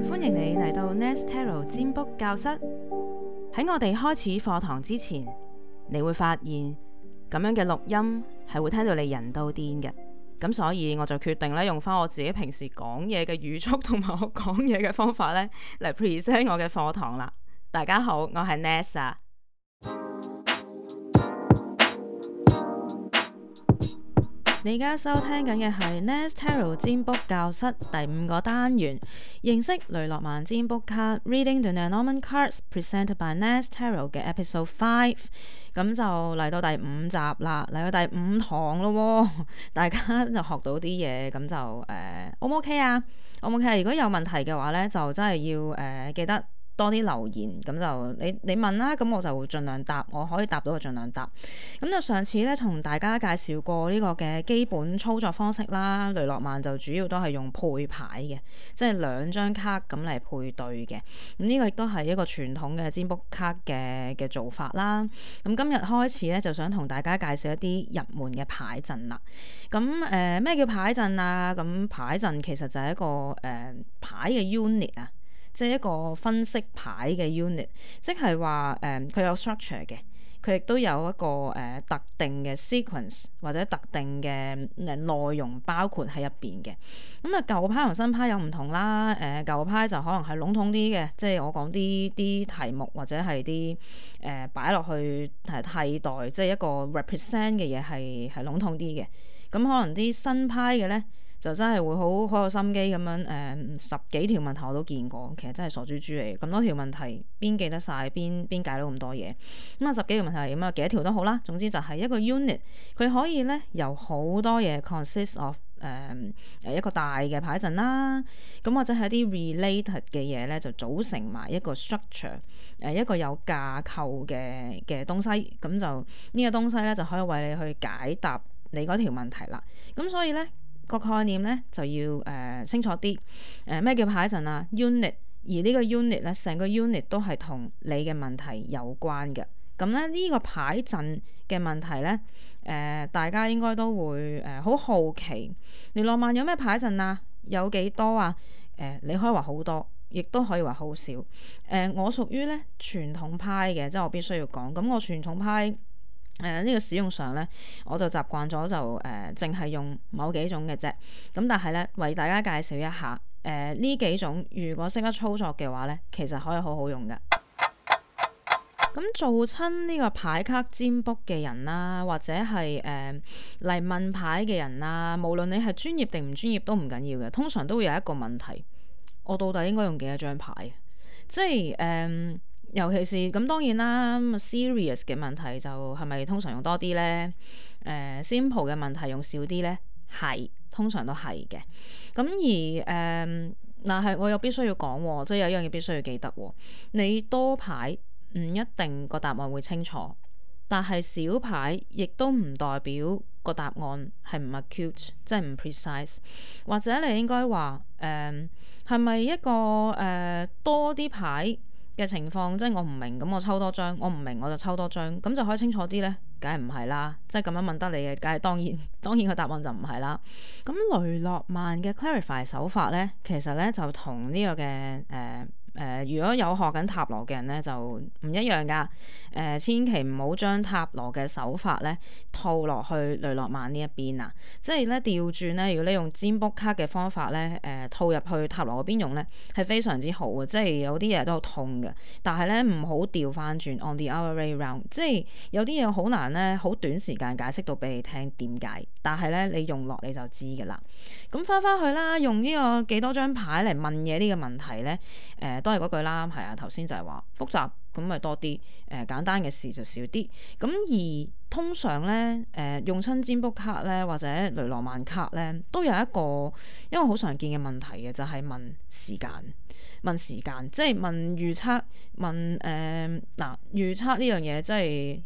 歡迎你嚟到 Nest Tarot 占卜教室。喺我哋開始課堂之前，你會發現咁樣嘅錄音係會聽到你人都癲嘅。咁所以我就決定咧用翻我自己平時講嘢嘅語速同埋我講嘢嘅方法咧嚟 present 我嘅課堂啦。大家好，我係 Nest 啊。你而家收聽緊嘅係 Nest Tarot 占卜教室第5個單元，認識雷諾曼占卜卡 Reading the Lenormand Cards Presented by Nest Tarot 嘅 Episode 5， 咁就嚟到第5集啦，嚟到第5堂咯，大家就學到啲嘢，咁就O 唔 OK 啊？O 唔 OK 啊？如果有問題嘅話呢，就真係要記得多啲留言，咁就你問啦，咁我就會盡量答，我可以答到就盡量答。咁就上次咧同大家介紹過呢個嘅基本操作方式啦，雷諾曼就主要都係用配牌嘅，即係2張卡咁嚟配對嘅。咁呢個亦都係一個傳統嘅占卜卡嘅做法啦。咁今日開始咧就想同大家介紹一啲入門嘅牌陣啦。咁咩叫牌陣啊？咁牌陣其實就係一個牌嘅 unit 啊。即係一個分析牌嘅 unit， 即係話佢有 structure 嘅，佢亦都有一個特定嘅 sequence 或者特定嘅內容包括喺入邊嘅。咁啊舊派同新派有唔同啦。舊派就可能係籠統啲嘅，即係我講啲題目或者係啲擺落去替代，即係一個 represent 嘅嘢係籠統啲嘅。咁可能啲新派嘅咧，就真係會好有心機咁樣10幾條問題我都見過，其實真係傻豬豬嚟。咁多條問題邊記得晒，邊解到咁多嘢？咁啊10幾條問題咁啊幾多條都好啦。總之就係一個 unit， 佢可以咧由好多嘢 consist of 一個大嘅牌陣啦。咁或者係一啲 related 嘅嘢咧，就組成埋一個 structure， 一個有架構嘅東西。咁就呢個東西咧就可以為你去解答你嗰條問題啦。咁所以咧，個概念咧就要清楚啲，咩叫牌陣啊 unit， 而呢個 unit 咧成個 unit 都係同你嘅問題有關嘅。咁咧呢個牌陣嘅問題咧，大家應該都會好好奇，雷諾曼有咩牌陣啊？有幾多啊？你可以話好多，亦都可以話好少。我屬於咧傳統派嘅，即係我必須要講。咁我傳統派呢個使用上咧，我就習慣咗就淨係用某幾種嘅啫。咁但係咧，為大家介紹一下呢幾種，如果識得操作嘅話咧，其實可以好好用嘅。咁做親呢個牌卡占卜嘅人啦，或者係嚟問牌嘅人啦，無論你係專業定唔專業都唔緊要嘅，通常都會有一個問題：我到底應該用幾多張牌？即係尤其是咁當然啦，serious 嘅問題就係咪通常用多啲呢？simple 嘅問題用少啲呢？係通常都係嘅。咁而但係我又必須要講，即係有一樣嘢必須要記得，你多牌唔一定個答案會清楚，但係少牌亦都唔代表個答案係唔 acute， 即係唔 precise。或者你應該話係咪一個多啲牌嘅情況，即係我唔明咁我抽多張，我唔明我就抽多張，咁就可以清楚啲呢？梗係唔係啦，即係咁樣問得你嘅，梗係當然個答案就唔係啦。咁雷諾曼嘅 clarify 手法呢，其實呢就同呢個嘅如果有學緊塔羅嘅人咧，就唔一樣噶。千祈唔好將塔羅嘅手法咧套落去雷諾曼呢一邊啊！即係咧調轉咧，如果你用占卜卡嘅方法咧，套入去塔羅嗰邊用咧，係非常之好嘅。即係有啲嘢都好痛嘅，但係咧唔好調翻轉 on the other way round。即係有啲嘢好難咧，好短時間解釋到俾你聽點解，但係咧你用落你就知噶啦。咁翻去啦，用呢個幾多張牌嚟問嘢呢個問題咧，都係嗰句啦，係啊，頭先就係話複雜咁咪多啲，簡單嘅事就少啲。咁而通常咧，用親占卜卡咧或者雷諾曼卡咧，都有一個好常見嘅問題嘅，就係問時間，即係問預測，問預測呢樣嘢，即係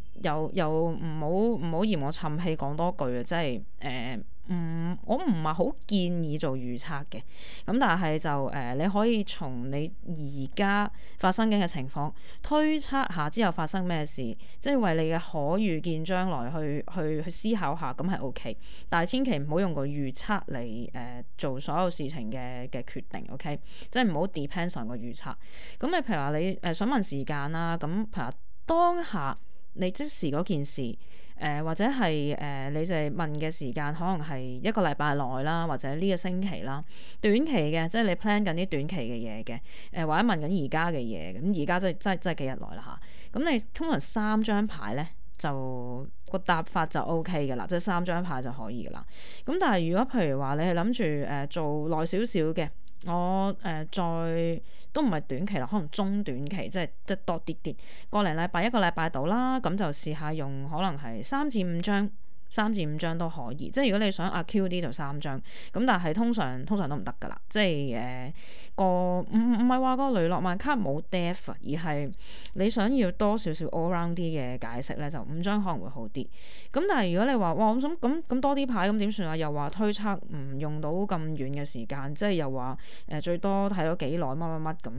又唔好嫌我沉氣講多句啊，即係我唔係好建議做預測嘅。咁但係就你可以從你而家發生緊嘅情況推測下之後發生咩事，即係為你嘅可預見將來去思考下，咁係 OK。但係千祈唔好用個預測嚟做所有事情嘅決定 OK， 即係唔好 depends on 個預測。咁你譬如話你想問時間啦，咁譬如話當下你即時嗰件事。或者係你就係問嘅時間，可能係一個禮拜內啦，或者呢個星期啦，短期嘅，即係你 plan 緊啲短期嘅嘢嘅，或者問緊而家嘅嘢，咁而家真係幾日內啦嚇。咁你通常3張牌咧，就個答法就 OK 嘅啦，即係3張牌就可以嘅啦。咁但係如果譬如話你係諗住做耐少少嘅。我再都唔係短期啦，可能中短期，即係多啲，個零禮拜一個禮拜到啦，咁就試下用可能係3至5張。3至5張都可以，即係如果你想Q 啲就3張，咁但係通常都唔得噶啦，即係個唔係話個雷諾曼卡冇 depth，而係你想要多少少 all round 啲嘅解釋咧，就5張可能會好啲。咁但係如果你話哇，我想咁多啲牌咁點算啊？又話推測唔用到咁遠嘅時間，即係又話最多睇到幾耐乜咁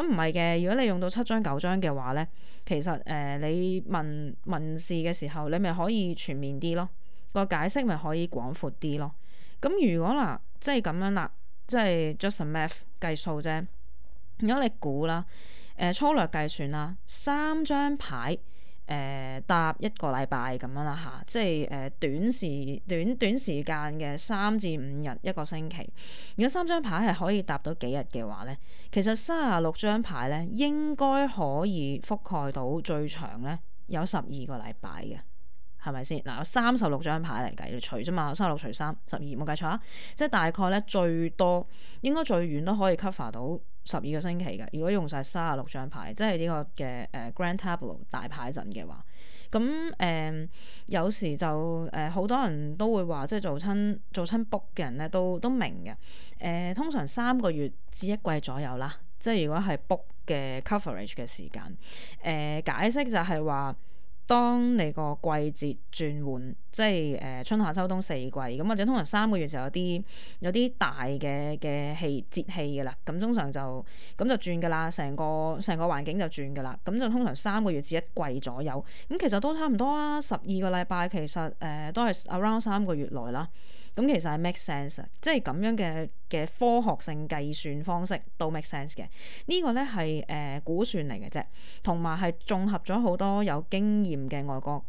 唔係嘅。如果你用到7張9張嘅話咧，其實你問事嘅時候，你咪可以全面啲咯。個解釋咪可以廣闊啲咯。咁如果嗱，即係咁樣啦，即係 just a math 計數啫。如果你估啦，粗略計算啦，3張牌搭一個禮拜咁樣啦嚇，即係短時間嘅3至5日一個星期。如果3張牌係可以搭到幾日嘅話咧，其實36張牌咧應該可以覆蓋到最長咧有12個禮拜嘅。係咪先？嗱，有36張牌嚟計，你除啫嘛，36除3，12，冇計錯啊！即係大概咧最多應該最遠都可以 cover 到12個星期嘅。如果用晒36張牌，即係呢個嘅Grand Tableau 大牌陣嘅話，咁有時就好多人都會話，即係做親 book 嘅人咧都明嘅。通常3個月至1季左右啦，即係如果係 book 嘅 coverage 嘅時間，解釋就係話。當你個季節轉換，即係春夏秋冬4季咁，或者通常3個月就有啲大嘅節氣嘅啦。咁通常就轉㗎啦，成個環境就轉㗎啦。咁就通常3個月至1季左右。咁其實都差唔多啊，12個禮拜其實都係 around 3個月內啦。咁其實係 make sense， 即係咁樣嘅科學性計算方式都 make sense 嘅。呢個咧係估算嚟嘅啫，同埋係綜合咗好多有經驗嘅外國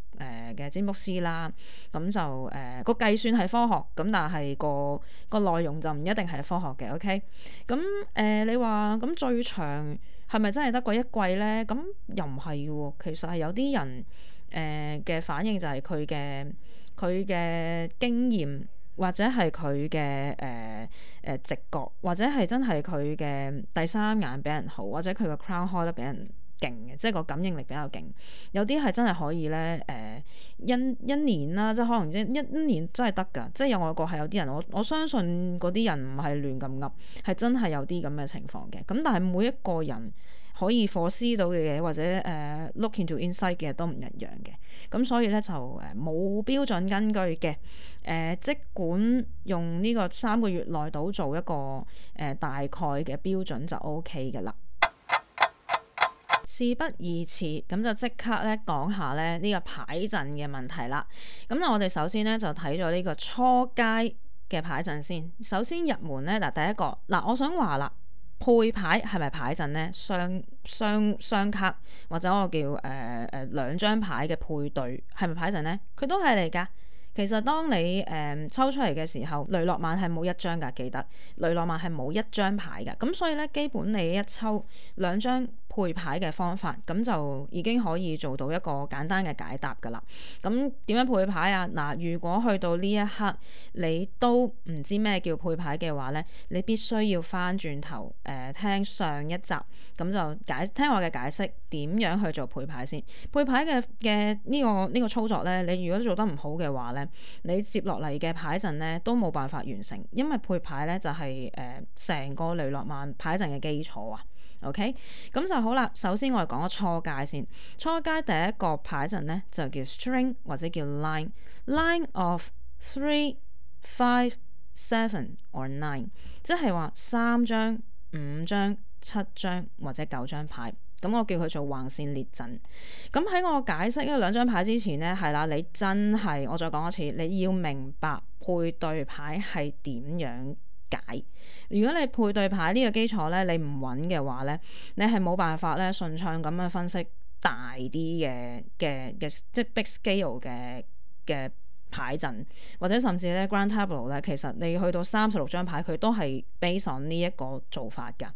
嘅占卜師啦。咁就個計算係科學，咁但係個內容就唔一定係科學嘅。OK，咁你話咁最長係咪真係得個1季咧？咁又唔係喎，其實係有啲人嘅反應就係佢嘅經驗。或者係佢嘅直覺，或者係真係佢嘅第三眼比人好，或者佢個 crown 開得比人勁嘅，即係個感應力比較勁。有啲係真係可以咧一年啦，即係可能一年真係得㗎。即係有外國係有啲人，我相信嗰啲人唔係亂咁噏，係真係有啲咁嘅情況嘅。咁但係每一個人可以 foresee 到嘅嘢，或者look into insight 嘅都唔一樣嘅。咁所以咧就冇標準根據嘅。即管用呢個3個月內到做一個大概嘅標準就 OK 嘅啦。事不宜遲，咁就即刻咧講下咧呢個牌陣嘅問題啦。咁我哋首先咧就睇咗呢個初階嘅牌陣先。首先入門咧嗱，第一個嗱，我想話啦。配牌係咪牌陣呢？雙卡或者我叫2張牌嘅配對係咪牌陣呢？佢都係嚟㗎。其實當你抽出嚟嘅時候，雷諾曼係冇1張㗎，記得雷諾曼係冇1張牌㗎。咁所以咧，基本你一抽2張配牌嘅方法，咁就已經可以做到一個簡單嘅解答㗎啦。咁點樣配牌啊？嗱，如果去到呢一刻你都唔知咩叫配牌嘅話咧，你必須要翻轉頭聽上一集，咁就聽我嘅解釋點樣去做配牌先。配牌嘅呢個操作咧，你如果做得唔好嘅話咧，你接落嚟嘅牌陣咧都冇辦法完成，因為配牌咧就係成個雷諾曼牌陣嘅基礎啊。OK， 咁就好啦。首先我哋講個初階先。初階第一個牌陣咧就叫 string 或者叫 line of 3 5、7 or 9，即係話3張、5張、7張或者9張牌。咁我叫佢做橫線列陣。咁喺我解釋呢兩張牌之前呢，係啦，你真係我再講一次，你要明白配對牌係點樣解。如果你配對牌呢個基礎呢，你唔穩嘅話呢，你係冇辦法呢順暢咁樣分析大啲嘅即係 big scale 嘅牌陣，或者甚至咧 Grand Tableau 咧，其實你去到36張牌，佢都係 base on 呢一個做法㗎。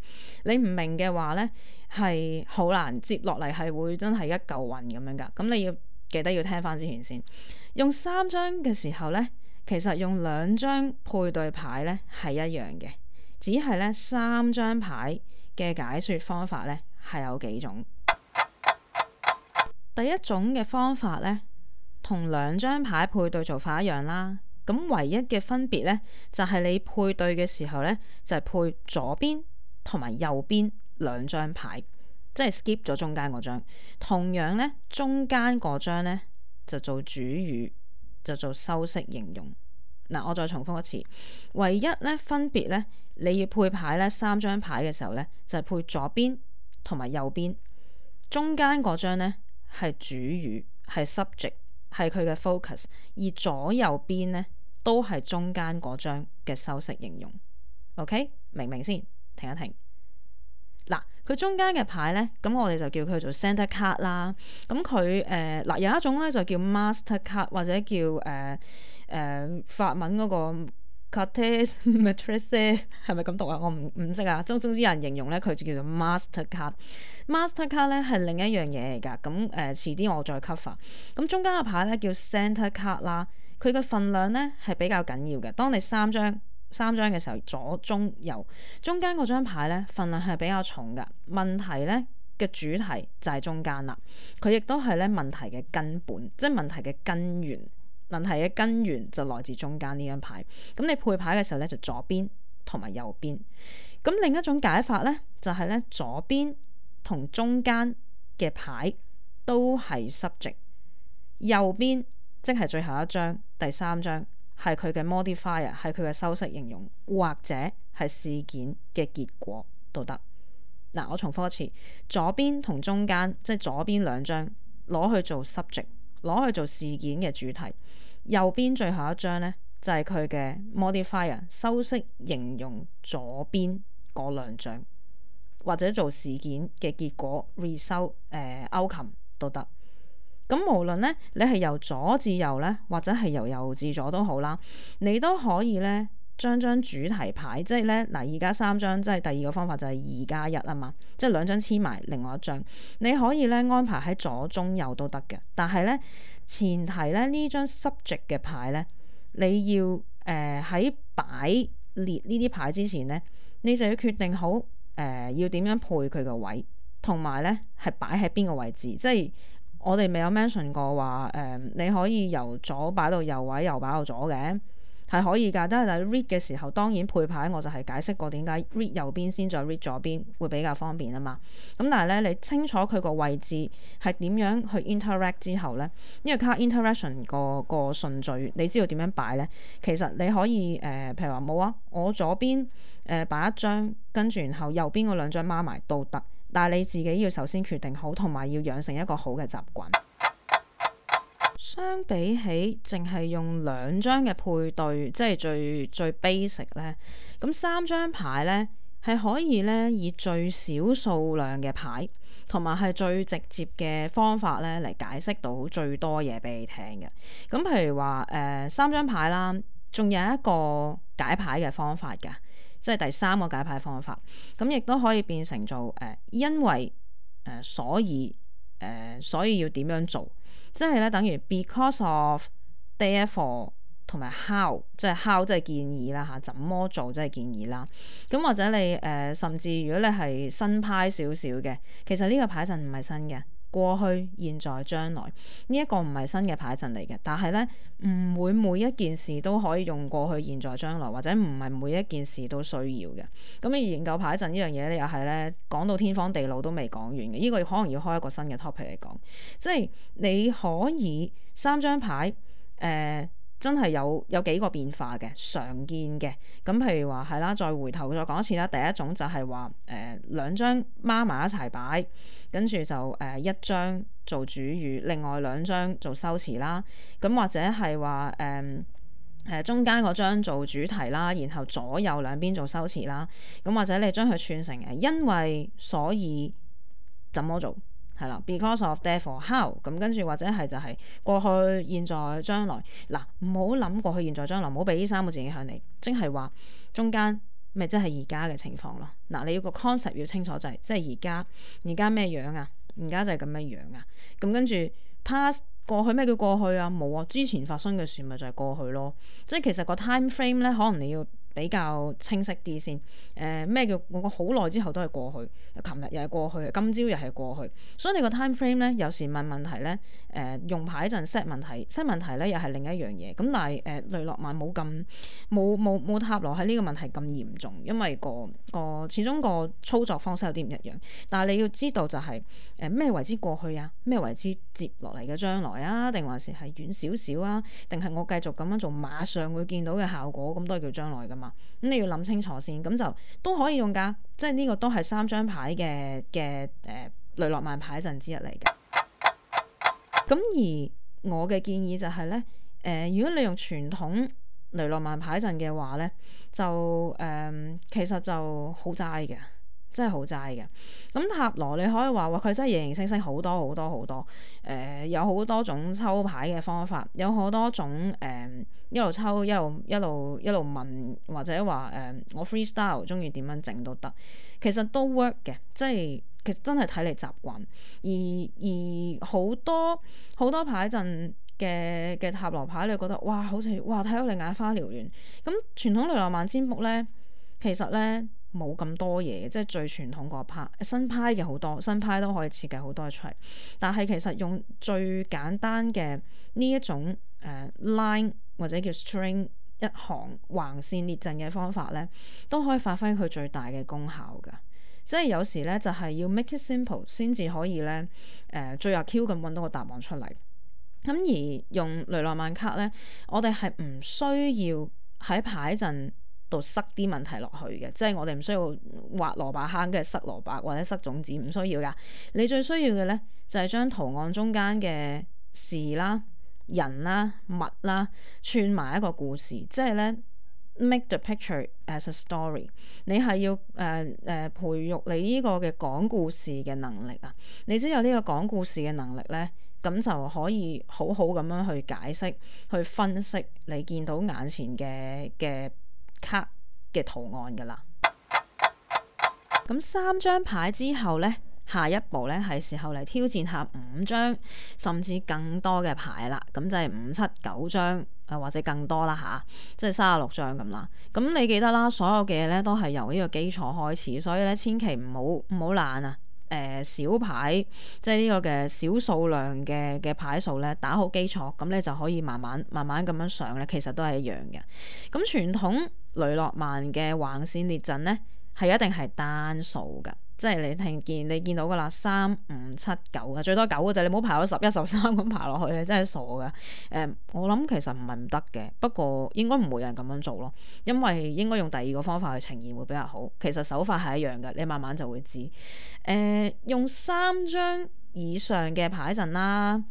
你唔明嘅話咧，係好難接落嚟，係會真係一嚿雲咁樣㗎。咁你要記得要聽翻之前先。用3張嘅時候咧，其實用2張配對牌咧係一樣嘅，只係咧3張牌嘅解說方法咧係有幾種。第一種嘅方法咧，同2張牌配對做法一樣啦，咁唯一嘅分別呢，就係你配對嘅時候呢，就係配左邊同埋右邊2張牌，即係 skip 咗中間嗰張。同樣呢，中間嗰張呢，就做主語，就做修飾形容。嗱，我再重複一次，唯一呢分別呢，你要配牌呢3張牌嘅時候呢，就係配左邊同埋右邊，中間嗰張呢係主語，係 subject。係佢嘅 focus， 而左右邊呢都係中間嗰張嘅修飾形容。OK， 明唔明先？停一停。嗱，佢中間嘅牌呢，咁我哋就叫佢做 center card 啦。咁佢嗱有一種呢就叫 master card 或者叫法文嗰個 cartes maîtresses 係咪咁讀啊？我唔識啊。總之有人形容呢，佢就叫做 master card。master card 咧係另一樣嘢嚟㗎。咁遲啲我再 cover。咁中間嘅牌咧叫 center card 啦，佢嘅份量咧係比較緊要嘅。當你三張嘅時候，左中右中間嗰張牌咧份量係比較重㗎。問題咧嘅主題就係中間啦，佢亦都係咧問題嘅根本，即係問題嘅根源。問題嘅根源就來自中間呢張牌。咁你配牌嘅時候咧就左邊同埋右邊。咁另一種解法咧就係咧左邊同中間嘅牌都係 subject， 右邊即係最後一張第3張係佢嘅 modifier， 係佢嘅修飾形容，或者係事件嘅結果都得。嗱，我重複一次，左邊同中間即係左邊2張攞去做 subject， 攞去做事件嘅主題，右邊最後一張呢，就係佢嘅 modifier， 修飾形容左邊嗰2張，或者做事件嘅結果 result outcome 都得。咁無論呢，你係由左至右呢，或者係由右至左都好啦，你都可以呢將張主題牌，即係呢嗱而家3張，即係第2個方法就係2+1啊嘛，即係2張黐埋另外一張，你可以呢安排喺左中右都得嘅。但係呢，前提呢，呢張 subject 嘅牌呢，你要喺擺列呢啲牌之前呢，你就要決定好要點樣配佢個位，同埋呢係擺喺邊個位置。即係我哋未有 mention 過話你可以由左擺到右位，右擺到左嘅。係可以㗎，但係 read 嘅時候當然配牌我就係解釋過點解 read 右邊先再 read 左邊會比較方便啊嘛。咁但係咧你清楚佢個位置係點樣去 interact 之後咧，因為 card interaction 個順序你知道點樣擺咧，其實你可以譬如話冇啊，我左邊擺一張，跟住然後右邊嗰2張孖埋都得，但係你自己要首先決定好，同埋要養成一個好嘅習慣。相比起淨係用2張嘅配對，即係最 basic 咧，咁3張牌咧係可以咧以最少數量嘅牌，同埋係最直接嘅方法咧嚟解釋到最多嘢俾你聽嘅。咁譬如話3張牌啦，仲有一個解牌嘅方法㗎，即係第3個解牌方法，咁亦都可以變成做因為所以要點樣做。即係咧，等於 because of、therefore 同埋 how， 即係 how 即係建議啦嚇，怎麼做即係建議啦。咁或者你甚至如果你係新派少少嘅，其實呢個牌陣唔係新嘅，過去、現在、將來呢一個唔係新嘅牌陣嚟嘅。但係咧唔會每一件事都可以用過去、現在、將來，或者唔係每一件事都需要嘅。咁你研究牌陣呢樣嘢咧，又係咧講到天荒地老都未講完嘅。呢個可能要開一個新嘅 topic 嚟講，即係你可以3張牌真係有幾個變化嘅常見嘅。咁譬如話係啦，再回頭再講一次啦。第一種就係話兩張孖埋一齊擺，跟住就一張做主語，另外兩張做修辭啦。咁或者係話中間嗰張做主題啦，然後左右兩邊做修辭啦。咁或者你將佢串成因為所以怎麼做係啦 ，because of therefore how。咁跟住或者係就係過去現在將來。嗱，唔好諗過去現在將來，唔好俾呢三個字影響你，即係話中間咪即係而家嘅情況咯。嗱，你要個 concept 要清楚就係即係而家咩樣啊？而家就係咁樣樣啊。咁跟住 past。過去咩叫過去啊？冇啊，之前發生嘅事咪就係過去咯。即係其實個 time frame 咧，可能你要比較清晰啲先。咩叫我好耐之後都係過去，琴日又係過去，今朝又係過去。所以你個 time frame 咧，有時問問題咧，用牌陣 set 問題咧，又係另一樣嘢。咁但係雷諾曼冇塔羅喺呢個問題咁嚴重，因為個始終個操作方式有啲唔一樣。但係你要知道就係咩為之過去啊？咩為之接落嚟嘅將來啊？定還是係遠少少啊？定係我繼續咁樣做，馬上會見到嘅效果，咁都係叫將來噶嘛？咁你要諗清楚先，咁就都可以用㗎。即係呢個都係3張牌嘅雷諾曼牌陣之一嚟嘅。咁而我嘅建議就係咧，如果你用傳統雷諾曼牌陣嘅話咧，就其實就好齋嘅。真係好齋嘅。咁塔羅你可以話佢真係形形色色好多好多好多，有好多種抽牌嘅方法，有好多種一路抽一路問，或者話我 freestyle 中意點樣整都得，其實都 work 嘅，即係其實真係睇你習慣。而好多牌陣嘅塔羅牌，你覺得哇好似哇睇到你眼花繚亂。咁傳統雷諾曼占卜咧，其實咧冇咁多嘢，即係最傳統嗰派，新派嘅好多，新派都可以設計好多出嚟。但係其實用最簡單嘅呢一種line 或者叫 string 一行橫線列陣嘅方法咧，都可以發揮佢最大嘅功效㗎。即係有時咧就係要 make it simple 先至可以咧最 Q 咁揾到個答案出嚟。咁而用雷諾曼卡咧，我哋係唔需要喺牌陣度塞啲問題落去嘅，即係我哋唔需要挖蘿蔔坑跟住塞蘿蔔或者塞種子，唔需要噶。你最需要嘅咧就係將圖案中間嘅事啦、人啦、物啦串埋一個故事，即係咧 make the picture as a story。你係要培育你呢個嘅講故事嘅能力啊！你只有呢個講故事嘅能力咧，咁就可以好好咁樣去解釋、去分析你見到眼前嘅卡嘅圖案㗎啦。咁3張牌之後呢，下一步呢係時候嚟挑戰下5張甚至更多嘅牌啦。咁就係5、7、9張或者更多啦吓，即係36張咁啦。咁你記得啦，所有嘅嘢呢都係由呢個基礎開始，所以呢千祈唔好懶啊。小牌即係呢個嘅小數量嘅牌數咧，打好基礎，咁你就可以慢慢咁樣上咧，其實都係一樣嘅。咁傳統雷諾曼嘅橫線列陣咧，係一定係單數㗎，即係你見到㗎啦，3、5、7、9啊，最多9嘅啫，你唔好排到11、13咁排落去，真係傻㗎。我諗其實唔係唔得嘅，不過應該唔會有人咁樣做咯，因為應該用第二個方法去呈現會比較好。其實手法係一樣嘅，你慢慢就會知。用3張以上嘅牌陣啦。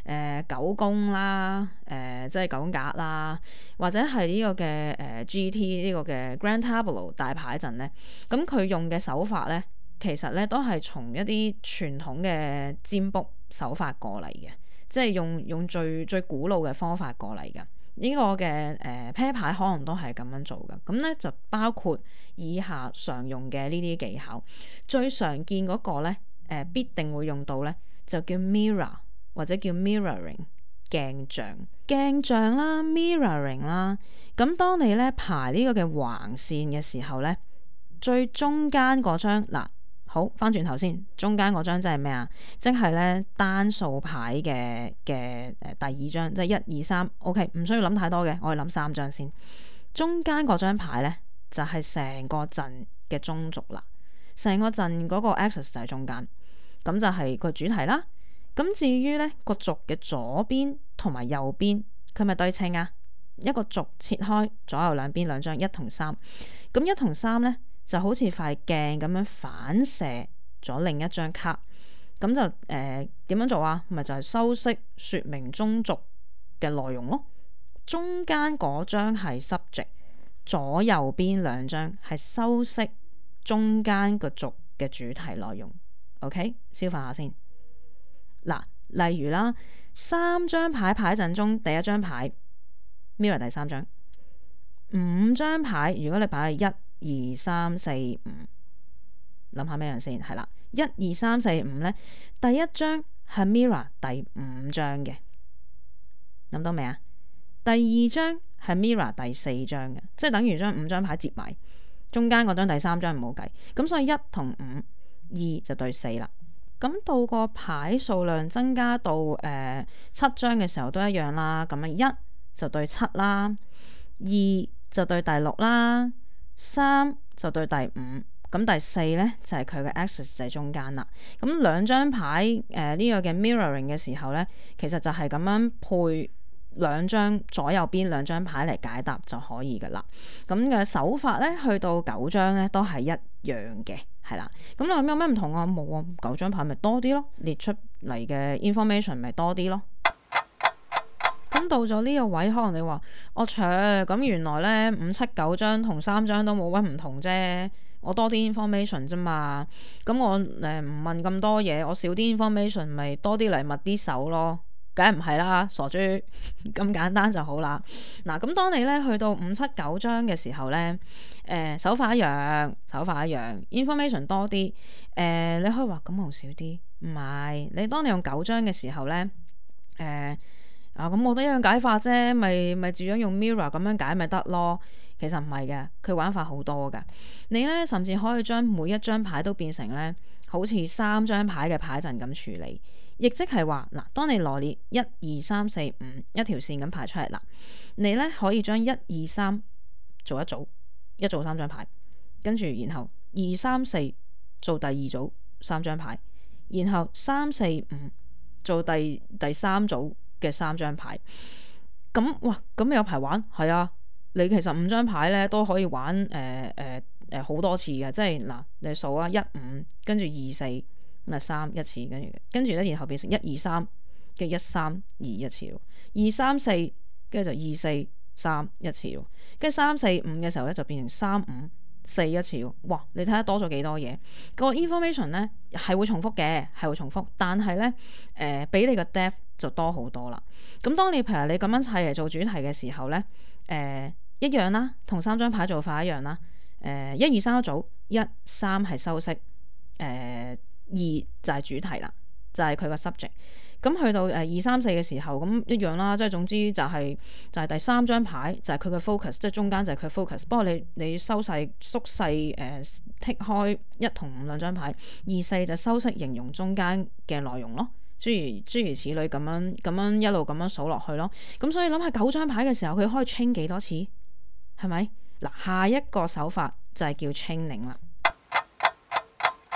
9宮啦，即係9格啦，或者係呢個嘅GT 呢個嘅 Grand Tableau 大牌陣咧，咁佢用嘅手法咧，其實咧都係從一啲傳統嘅占卜手法過嚟嘅，即係用最古老嘅方法過嚟嘅。呢個嘅啤牌可能都係咁樣做嘅。咁咧就包括以下常用嘅呢啲技巧，最常見嗰個咧必定會用到咧，就叫 mirror。或者叫 mirroring 鏡像啦 mirroring 啦。咁當你咧排呢個嘅橫線嘅時候咧，最中間嗰張嗱，好翻轉頭先，中間嗰張即係咩啊？即係咧單數牌嘅第二張，即係1、2、3。OK， 唔需要諗太多嘅，我哋諗3張先。中間嗰張牌咧就係成個陣嘅中軸啦，成個陣嗰個 axis 就係中間，咁就係個主題啦。咁至於咧個軸嘅左邊同埋右邊，佢咪對稱啊？一個軸切開左右兩邊兩張1同3，咁1同3咧就好似塊鏡咁樣反射咗另一張卡，咁就點樣做啊？咪就係修飾説明中軸嘅內容咯。中間嗰張係 subject，左右邊兩張係修飾中間個軸嘅主題內容。OK， 消化下先。嗱，例如啦，3張牌陣中第一張牌 mirror 第3張，5張牌如果你擺喺1、2、3、4、5，諗下咩樣先？係啦，1、2、3、4、5咧，第一張係 mirror 第5張嘅，諗到未啊？第二張係 mirror 第4張嘅，即係等於將5張牌接埋，中間嗰張第3張唔好計，咁所以1同5、2就對4啦。咁到個牌數量增加到7張嘅時候都一樣啦。咁啊1就對7啦，2就對第6啦，3就對第5。咁第4咧就係佢嘅 axis 就係中間啦。咁兩張牌呢個嘅 mirroring 嘅時候咧，其實就係咁樣配兩張左右邊兩張牌嚟解答就可以噶啦。咁嘅手法咧，去到9張咧都係一樣嘅，係啦。咁你話有咩唔同啊？冇啊，9張牌咪多啲咯，列出嚟嘅 information 咪多啲咯。咁到咗呢個位，可能你話我咁原來咧5、7、9張同3張都冇乜唔同啫，我多啲 information 啫嘛。咁我唔問咁多嘢，我少啲 information 咪多啲禮物啲手咯。梗係唔係啦，傻豬咁簡單就好啦。嗱，咁當你咧去到5、7、9張嘅時候咧，手法一樣，information 多啲。你可以話咁我少啲，唔係。你當你用9張嘅時候咧，咁我都一樣解法啫，咪照樣用 mirror 咁樣解咪得咯。其實唔係嘅，佢玩法好多㗎。你咧甚至可以將每一張牌都變成咧，好似3張牌嘅牌陣咁處理，亦即係話嗱，當你羅列1、2、3、4、5一條線咁排出嚟啦，你咧可以將1、2、3做一組3張牌，跟住然後2、3、4做第二組3張牌，然後3、4、5做第3組嘅3張牌。咁哇，咁有排玩係啊！你其實5張牌咧都可以玩好多次嘅，即係嗱，你數啊1、5跟住2、4咁啊3一次，跟住咧然後變成1、2、3嘅1、3、2一次，2、3、4跟住就2、4、3一次，跟住3、4、5嘅時候咧就變成3、5、4一次。哇！你睇下多咗幾多嘢？個 information 咧係會重複嘅，但係咧俾你個 depth 就多好多啦。咁當你譬如你咁樣砌嚟做主題嘅時候咧，一樣啦，同3張牌做法一樣啦。1、2、3一組，1、3係修飾，2就係主題啦，就係佢個 subject。咁去到2、3、4嘅時候，咁一樣啦，即係總之就係第3張牌就係佢嘅 focus，即係中間就係佢 focus。不過你縮細剔開1同5兩張牌，2、4就修飾形容中間嘅內容咯。諸如此類咁樣一路咁樣數落去咯。咁所以諗下9張牌嘅時候，佢可以 chain 幾多次？係咪？嗱，下一個手法就係叫 chaining 啦。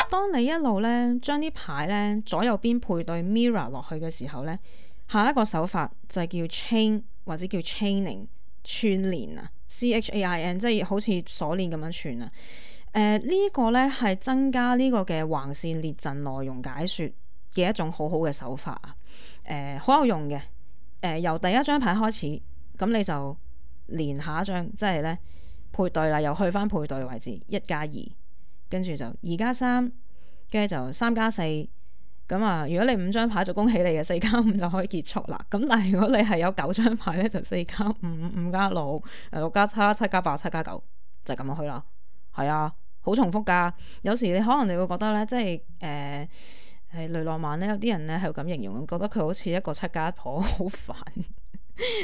當你一路咧將啲牌咧左右邊配對 mirror 落去嘅時候咧，下一個手法就係叫 chain 或者叫 chaining 串連啊 ，CHAIN 即係好似鎖鏈咁樣串啊。呢個咧係增加呢個嘅橫線列陣內容解說嘅一種好好嘅手法啊。好有用嘅。由第一張牌開始，咁你就連下一張，即係咧配對啦，又去翻配對位置1+2，跟住就2+3，跟住就3+4。咁啊，如果你5張牌就恭喜你嘅4+5就可以結束啦。咁但係如果你係有9張牌咧，就4+5、5+6、6+7、7+8、7+9就係咁樣去啦。係啊，好重複噶。有時你可能你會覺得咧，即係係雷諾曼咧，有啲人咧係咁形容，覺得佢好似一個7家婆，好煩。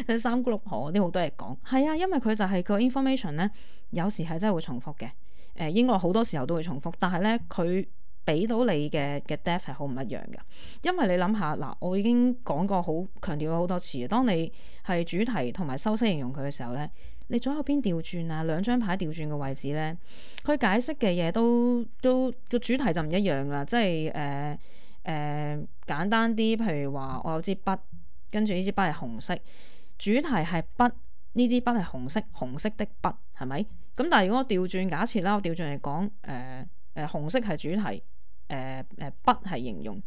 3姑六婆嗰啲好多嘢講，係啊，因為佢就係個 information 咧，有時係真係會重複嘅。應該好多時候都會重複，但係咧佢俾到你嘅 depth 係好唔一樣嘅。因為你諗下嗱，我已經講過好強調咗好多次，當你係主題同埋修飾形容佢嘅時候咧，你左右邊調轉啊，兩張牌調轉嘅位置咧，佢解釋嘅嘢都個主題就唔一樣啦。即係簡單啲，譬如話我有支筆，跟住呢支筆係紅色，主題係筆呢支筆係紅色的筆係咪？咁但係如果我調轉假設啦，我調轉嚟講，紅色係主題，筆係形容，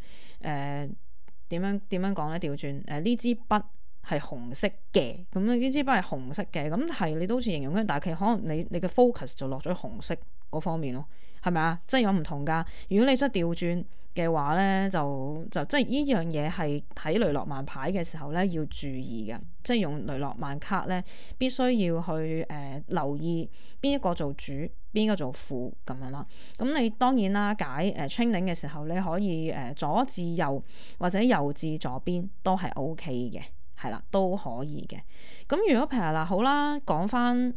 點樣講咧？調轉呢支筆係紅色嘅，咁呢支筆係紅色嘅，咁係你都好似形容緊，但係其實可能你嘅 focus 就落咗紅色嗰方面咯，係咪啊？即係有唔同㗎。如果你真係調轉嘅話咧，就即係呢樣嘢係睇雷諾曼牌嘅時候咧要注意嘅，即係用雷諾曼卡咧必須要去留意邊一個做主，邊一個做副咁樣啦。咁你當然啦，解training 嘅時候你可以左至右或者右至左邊都係 OK 嘅。係啦，都可以嘅。咁如果譬如嗱，好啦，講翻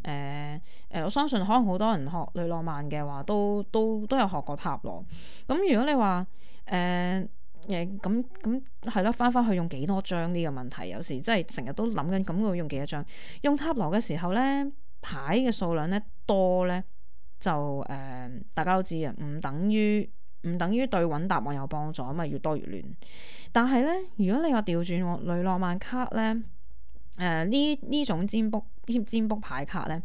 我相信可能好多人學雷諾曼嘅話，都有學過塔羅。咁如果你話咁係咯，翻去用幾多張呢個問題，有時真係成日都諗緊，咁會用幾多張？用塔羅嘅時候咧，牌嘅數量咧多咧，就大家都知啊，唔等於對揾答案有幫助，咁啊越多越亂。但係咧，如果你話調轉雷諾曼卡咧，呢種占卜牌卡咧，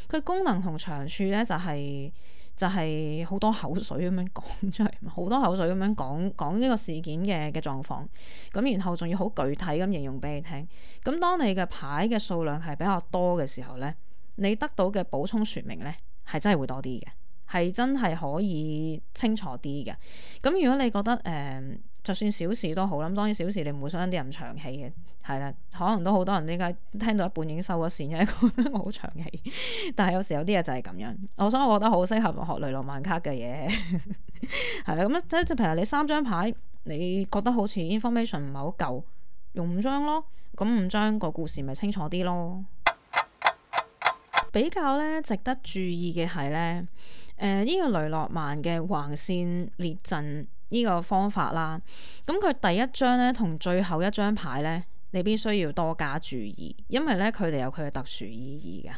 佢功能同長處咧就係好多口水咁樣講出嚟，好多口水咁樣講呢個事件嘅狀況，咁然後仲要好具體咁形容俾你聽。咁當你嘅牌嘅數量係比較多嘅時候咧，你得到嘅補充說明咧係真係會多啲嘅。係真係可以清楚啲嘅。咁如果你覺得就算小事都好啦，咁當然小事你唔會想啲人長氣嘅，係啦，可能都好多人點解聽到一半已經收咗線，因為覺得我好長氣。但係有時有啲嘢就係咁樣，所以我覺得好適合學雷諾曼卡嘅嘢，係啦。咁即係譬如你3張牌，你覺得好似 information 唔係好夠，用5張咯，咁5張個故事咪清楚啲咯。比較咧值得注意嘅係咧，呢個雷諾曼嘅橫線列陣呢個方法啦，咁佢第一張咧同最後一張牌咧，你必須要多加注意，因為咧佢哋有佢嘅特殊意義㗎。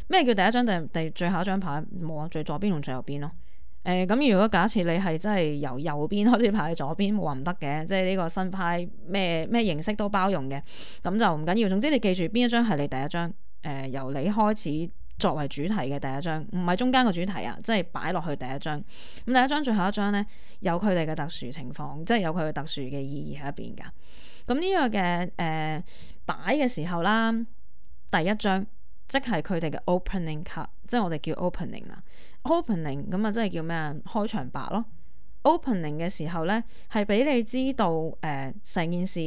咩叫第一張第最後一張牌？冇啊，最左邊同最右邊咯。咁如果假設你係真係由右邊開始排左邊，冇話唔得嘅，即係呢個新派咩形式都包容嘅，咁就唔緊要。總之你記住邊一張係你第一張，由你開始作為主題嘅第一張，唔係中間個主題啊，即係擺落去第一張。咁第一張最後一張咧，有佢哋嘅特殊情況，即係有佢嘅特殊嘅意義喺入邊㗎。咁呢個嘅擺嘅時候啦，第一張即係佢哋嘅 opening card， 即係我哋叫 opening 啦。opening 咁啊，即係叫咩啊？開場白咯。opening 嘅時候咧，係俾你知道成件事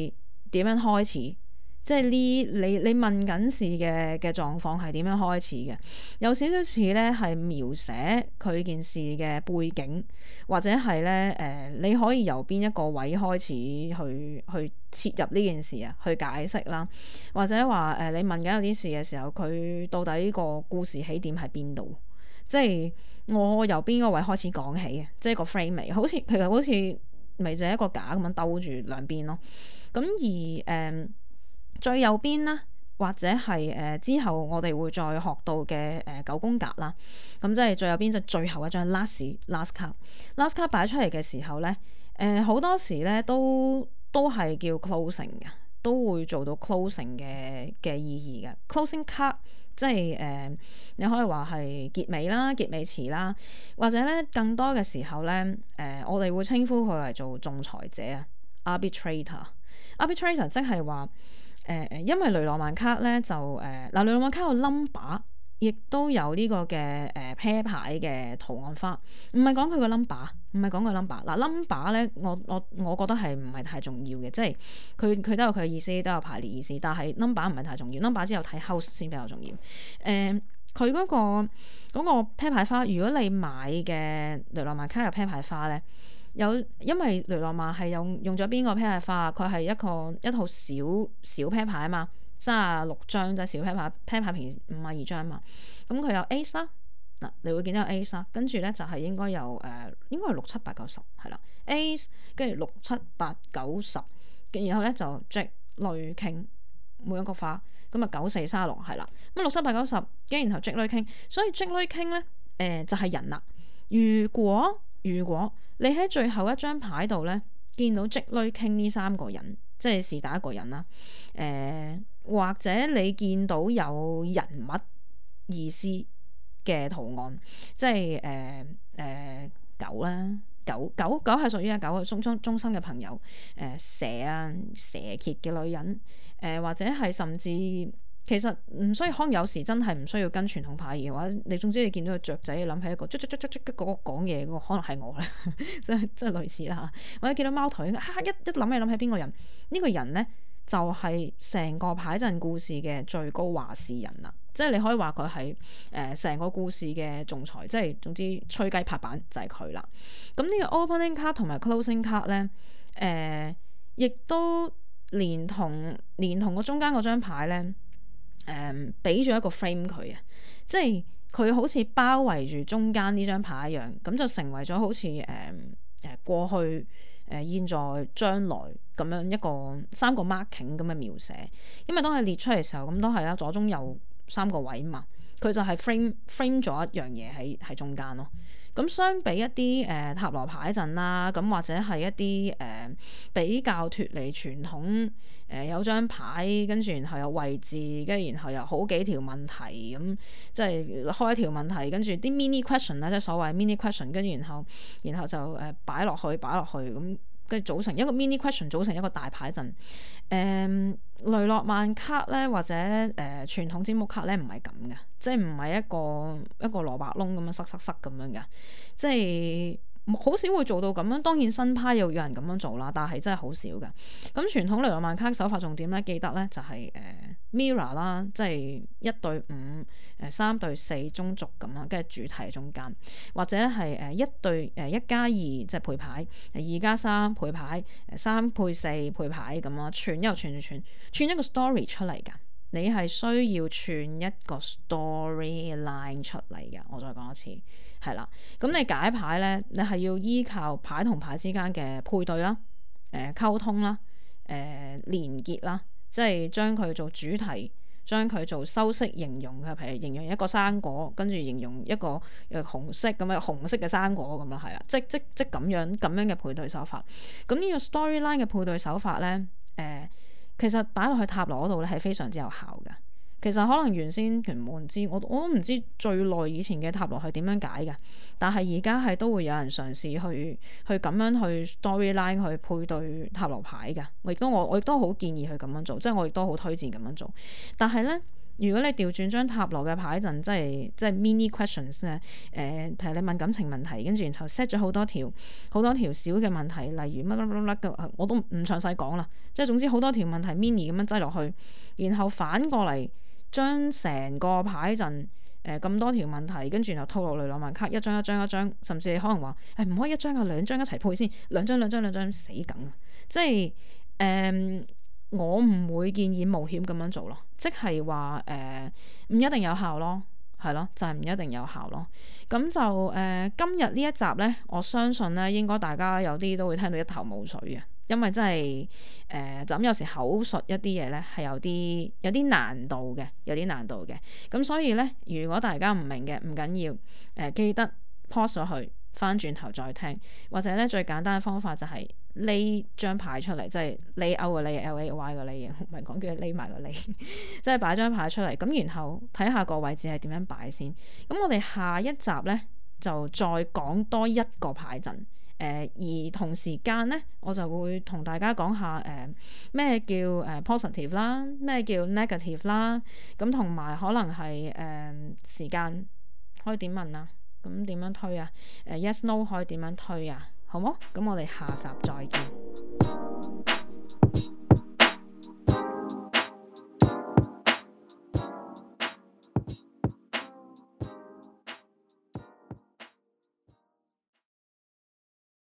點樣開始。即係你問緊事嘅狀況係點樣開始嘅，有少少似咧係描寫佢件事嘅背景，或者係咧你可以由邊一個位開始去切入呢件事啊，去解釋啦，或者話你問緊有啲事嘅時候，佢到底個故事起點喺邊度？即係我由邊個位開始講起嘅，即係個 frame 好似其實好似咪就係一個架咁樣兜住兩邊咯。咁而最右邊啦，或者係之後我哋會再學到嘅9宮格啦，咁即係最右邊就最後一張 last card 擺出嚟嘅時候咧，好多時咧都係叫 closing 嘅，都會做到 closing 嘅意義嘅 closing card， 即係你可以話係結尾啦、結尾詞啦，或者咧更多嘅時候咧，我哋會稱呼佢為做仲裁者啊 arbitrator 即係話。因為雷諾曼卡咧就雷諾曼卡有 number， 亦都有呢個嘅啤牌嘅圖案花，唔係講佢個 number， 唔係講佢 number。嗱 number 咧，我覺得係唔係太重要嘅，即係佢都有佢嘅意思，都有排列意思，但係 number 唔係太重要 ，number 之後睇 house 先比較重要。佢嗰個啤牌花，如果你買嘅雷諾曼卡有啤牌花咧。因為雷諾曼係用咗邊個啤牌花？佢係一套小啤牌啊嘛，36張就係小啤牌，啤牌平時52張啊嘛。咁佢有 Ace 啦，嗱你會見到有 Ace 啦，跟住咧就係應該有應該係6、7、8、9、10係啦 ，Ace 跟住6、7、8、9、10，然後咧就 Jack 女 King 每一個花，咁啊9、4、36係啦，咁6、7、8、9、10，跟住然後 Jack 女 King，所以 Jack 女 King 咧就係人啦。如果你喺最後一張牌度咧，見到積累傾呢3個人，即係是但一個人啦。或者你見到有人物意思嘅圖案，即係狗啦，狗係屬於狗嘅中心嘅朋友，蛇啊，蛇蠍嘅女人，或者係甚至其實唔需要，可能有時真係唔需要跟傳統牌嘅話，你總之你見到個雀仔，你諗起一個嗰個講嘢嗰個，可能係我咧，即係類似啦。或者見到貓頭鷹，一諗起邊個人？呢個人咧就係成個牌陣故事嘅最高話事人啦。即係你可以話佢係成個故事嘅仲裁，即係總之吹雞拍板就係佢啦。咁呢個 opening card 同埋 closing card 咧，亦都連同個中間嗰張牌咧，俾咗一個 frame 佢啊，即係佢好似包圍住中間呢張牌一樣，咁就成為咗好似過去、現在、將來咁樣一個三個 marking 咁嘅描寫。因為當你列出嚟嘅時候，咁都係啦，左中右三個位嘛，佢就係 frame 咗一樣嘢喺中間咯。咁相比一啲塔羅牌陣啦，咁或者係一啲比較脫離傳統，有張牌跟住然後有位置，跟住然後有好幾條問題咁，即係開一條問題，跟住啲 mini question 啦，即係所謂 mini question，跟住然後就擺落去咁。跟住組成一個 mini question，組成一個大牌陣。雷諾曼卡咧，或者傳統占卜卡咧，唔係咁嘅，即係唔係一個蘿蔔窿咁樣塞咁樣嘅，即係好少會做到咁樣。當然新派又有人咁樣做啦，但係真係好少嘅。咁傳統雷諾曼卡手法重點咧，記得咧就係mirror 啦，即係1對5、3對4中軸咁樣，跟住主題中間，或者係1對1+2即係配牌，2+3配牌，3配4配牌咁樣，串一個 story 出嚟㗎。你係需要串一個 storyline 出嚟嘅。我再講一次，係啦。咁你解牌咧，你係要依靠牌同牌之間嘅配對啦、溝通啦、連結啦。即係將佢做主題，將佢做修飾形容嘅，譬如形容一個生果，跟住形容一個紅色咁樣紅色嘅生果咁樣，係啦，即咁樣嘅配對手法。咁呢個 storyline 嘅配對手法咧，其實擺落去塔羅嗰度咧係非常之有效嘅。其實可能原先全冇人知，我都唔知最耐以前嘅塔羅係點樣解嘅，但係而家係都會有人嘗試去咁樣去 storyline 去配對塔羅牌嘅。我亦都好建議去咁樣做，即係我亦都好推薦咁樣做。但係咧，如果你調轉張塔羅嘅牌陣，即係 mini questions 咧，譬如你問感情問題，跟住然後 set 咗好多條小嘅問題，例如乜嘅，我都唔詳細講啦。即係總之好多條問題 mini 咁樣擠落去，然後反過嚟。將成個牌陣咁多條問題，跟住然後套落雷諾曼卡一張，甚至你可能話唔可以一張啊，兩張一齊配先，兩張死梗啊！即係我唔會建議冒險咁樣做咯，即係話唔一定有效咯，係咯，就係唔一定有效咯。咁就今日呢一集呢，我相信呢應該大家有啲都會聽到一頭霧水嘅。因為真係就咁有時口述一啲嘢咧係有啲難度嘅，咁所以咧，如果大家唔明嘅唔緊要，記得 pause 咗去，翻轉頭再聽，或者咧最簡單嘅方法就係匿張牌出嚟，即係lay out 個 lay lay 個 lay 唔係講叫匿埋個 lay，即係擺張牌出嚟，咁然後睇下個位置係點樣擺先。咁我哋下一集咧就再講多一個牌陣。而同時間咧，我就會同大家講下咩叫positive 啦，咩叫 negative 啦，咁同埋可能係時間可以點問啊？咁點樣推啊？Yes no 可以點樣推啊？好冇？咁我哋下集再見。